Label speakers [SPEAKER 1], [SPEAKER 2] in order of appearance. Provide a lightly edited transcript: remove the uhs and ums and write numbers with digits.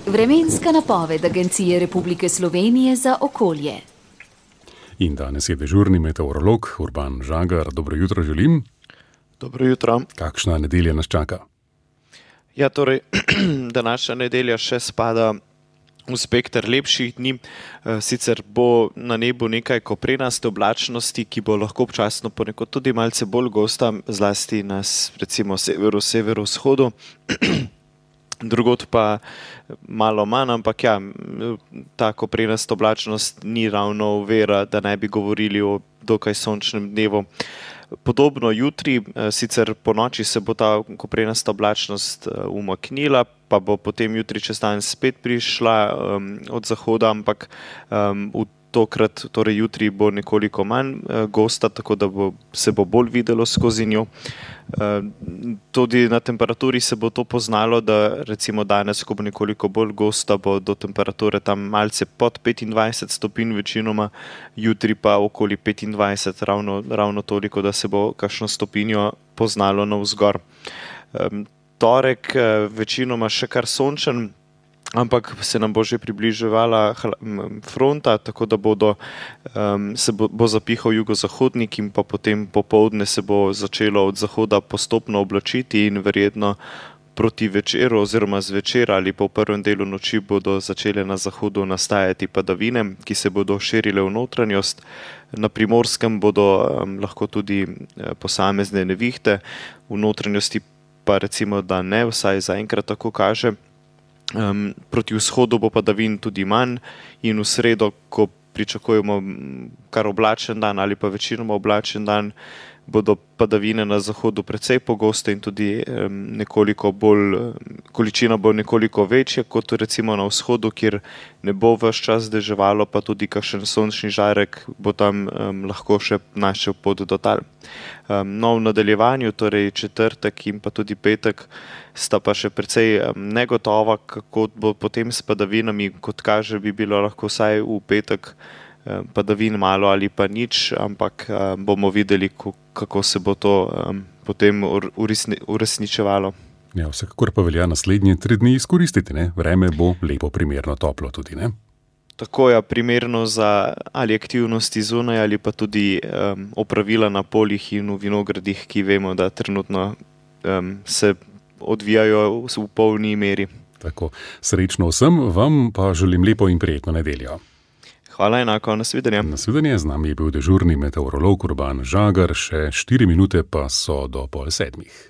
[SPEAKER 1] Vremenska napoved Agencije Republike Slovenije za okolje.
[SPEAKER 2] In danes je dežurni meteorolog Urban Žagar. Dobro jutro želim.
[SPEAKER 3] Dobro jutro.
[SPEAKER 2] Kakšna nedelja nas čaka?
[SPEAKER 3] Ja, torej, današnja nedelja še spada v spekter lepših dni. Sicer bo na nebu nekaj koprenaste oblačnosti, ki bo lahko občasno ponekod tudi malce bolj gosta, zlasti na recimo severovzhodu. Drugod pa malo manj, ampak ja, ta koprenasta oblačnost ni ravno ovira, da ne bi govorili o dokaj sončnem dnevu. Podobno jutri, sicer po noči se bo ta koprenasta oblačnost umaknila, pa bo potem jutri čez dan spet prišla od zahoda, ampak tokrat, torej jutri bo nekoliko manj gosta, tako da se bo bolj videlo skozi njo. Tudi na temperaturi se bo to poznalo, da recimo danes, ko bo nekoliko bolj gosta, bo do temperature tam malce pod 25 stopinj večinoma, jutri pa okoli 25, ravno toliko, da se bo kakšno stopinjo poznalo navzgor. Torek večinoma še kar sončen, ampak se nam bo že približevala fronta, tako da bo zapihal jugozahodnik in pa potem popoldne se bo začelo od zahoda postopno oblačiti in verjetno proti večeru oziroma zvečer ali pa v prvem delu noči bodo začele na zahodu nastajati padavine, ki se bodo širile v notranjost. Na Primorskem bodo lahko tudi posamezne nevihte, v notranjosti pa recimo, da ne, vsaj zaenkrat tako kaže. Proti vzhodu bo padavin tudi manj in v sredo, ko pričakujemo kar oblačen dan ali pa večinoma oblačen dan, bodo padavine na zahodu precej pogoste in tudi količina bo nekoliko večja kot recimo na vzhodu, kjer ne bo ves čas deževalo, pa tudi kakšen sončni žarek bo tam lahko še našel pot do tal. No, v nadaljevanju, torej četrtek in pa tudi petek, sta pa še precej negotova, kako bo potem s padavinami. Kot kaže, bi bilo lahko vsaj v petek padavin malo ali pa nič, ampak bomo videli, kako se bo to potem uresničevalo.
[SPEAKER 2] Ja, vsekakor pa velja naslednje 3 dni izkoristiti, ne? Vreme bo lepo, primerno toplo tudi, ne?
[SPEAKER 3] Tako je primerno za ali aktivnosti zunaj ali pa tudi opravila na poljih in v vinogradih, ki vemo, da trenutno se odvijajo v polni meri.
[SPEAKER 2] Tako, srečno vsem, vam pa želim lepo in prijetno nedeljo.
[SPEAKER 3] Hvala enako, nasvidenje.
[SPEAKER 2] Nasvidenje, z nami je bil dežurni meteorolog Urban Žagar, še 4 minute pa so do 6:30.